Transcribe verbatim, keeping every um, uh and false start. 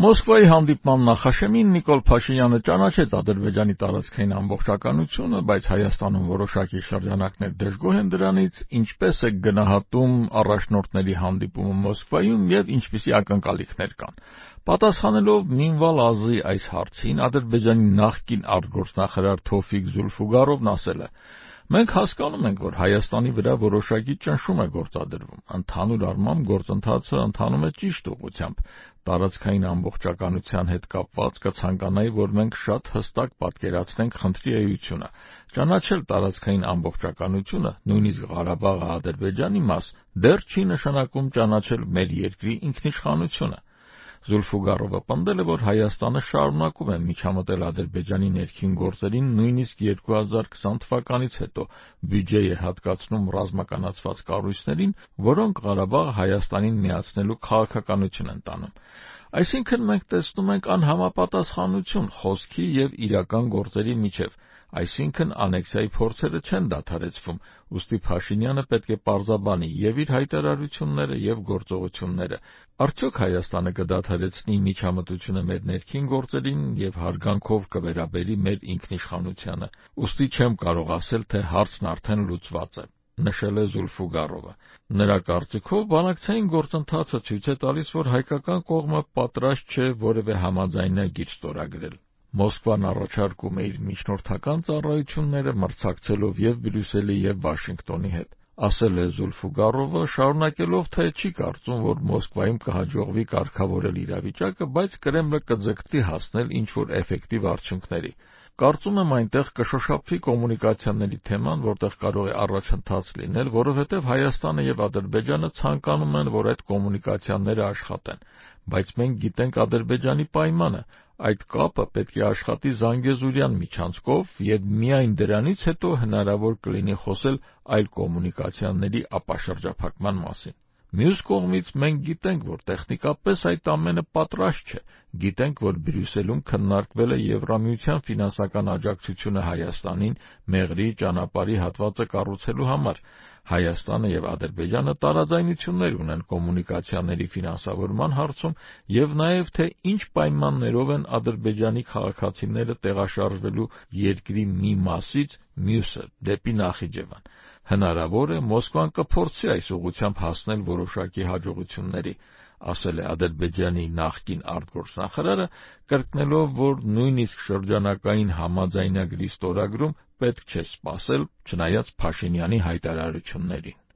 Մոսկվայի հանդիպման նախաշեմին Նիկոլ Փաշինյանը ճանաչեց Ադրբեջանի տարածքային ամբողջականությունը, բայց Հայաստանում որոշակի շրջանակներ դժգոհ են դրանից, ինչպես է գնահատում առաջնորդների հանդիպումը Մոսկվայում եւ ինչպիսի ակնկալիքներ կան։ Պատասխանելով Մինվալ Ազի այս հարցին, Ադրբեջանի նախկին արտգործնախարար Թովֆիկ Զուլֆուգարովն ասել է. «Մենք հասկանում ենք, որ Հայաստանի վրա որոշակի ճնշում է գործադրվում։ Ընդհանուր առմամբ գործընթացը ընթանում է ճիշտ ուղղությամբ։ Տարածքային ամբողջականության հետ կապված կցանկանայի, որ մենք շատ հստակ պատկերացնենք խնդրի էությունը։ Ճանաչել տարածքային ամբողջականությունը, նույնիսկ Ղարաբաղը Ադրբեջանի մաս, դեռ չի նշանակում ճանաչել մեր երկրի ինքնիշխանությունը»։ Զուլֆուգարովը պնդել է, որ Հայաստանը շարունակում է միջամտել Ադրբեջանի ներքին գործերին, նույնիսկ երկու հազար քսան թվականից հետո բյուջե է հատկացնում ռազմականացված կառույցներին, որոնք Ղարաբաղը Հայաստանին միացնելու քաղաքականություն են տանում։ Այսինքն մենք տեսնում ենք անհամապատասխանություն խոսքի եւ իրական գործերի միջեւ, այսինքն անեքսիայի փորձերը չեն դադարեցվում, ուստի Փաշինյանը պետք է պարզաբանի եւ իր հայտարարությունները եւ գործողությունները։ Արդյոք Հայաստանը կդադարեցնի միջամտությունը մեր ներքին գործերին եւ հարգանքով կվերաբերի մեր ինքնիշխանությանը։ Ուստի չեմ կարող ասել, թե հարցն արդեն լուծված է, նշել է Զուլֆուգարովը։ Նրա կարծիքով բանակցային գործընթացը ցույց է տալիս, որ հայկական կողմը պատրաստ չէ որևէ համաձայնագիր ստորագրել։ Մոսկվան առաջարկում է իր միջնորդական ծառայությունները մրցակցելով եւ Բրյուսելի եւ Վաշինգտոնի հետ, ասել է Զուլֆուգարովը, շարունակելով, թե չի կարծում, որ Մոսկվայում կհաջողվի կարգավորել իրավիճակը, բայց Կրեմլը կձգտի հասնել ինչ-որ էֆեկտիվ արդյունքների։ Կարծում եմ այնտեղ կշոշափվի կոմունիկացիաների թեման, որտեղ կարող է առաջընթաց լինել, որովհետև Հայաստանը եւ Ադրբեջանը ցանկանում են, որ այդ կոմունիկացիաները աշխատեն, բայց մենք գիտենք Ադրբեջանի պայմանը, այդ կապը պետք է աշխատի Զանգեզուրյան միջանցքով եւ միայն դրանից հետո հնարավոր կլինի խոսել այլ կոմունիկացիաների ապաշրջափակման մասին։ Մյուս կողմից մենք գիտենք, որ տեխնիկապես այդ ամենը պատրաստ չէ, գիտենք, որ Բրյուսելում քննարկվել է Եվրամիության ֆինանսական աջակցությունը Հայաստանին Մեղրի ճանապարհի հատվածը կառուցելու համար։ Հայաստանը եւ Ադրբեջանը տարաձայնություններ ունեն կոմունիկացիաների ֆինանսավորման հարցում եւ նաեւ թե ինչ պայմաններով են Ադրբեջանի քաղաքացիները տեղաշարժվելու երկրի մի մասից մյուսը դեպի Նախիջևան։ Հնարավոր է Մոսկվան կփորձի այս ուղղությամբ հասնել որոշակի հաջողությունների, ասել է Ադրբեջանի նախկին արտգործնախարարը, կրկնելով, որ նույնիսկ շրջանակային համաձայնագրի ստորագրում պետք չէ սպասել, չնայած Փաշինյանի հայտարարություններին։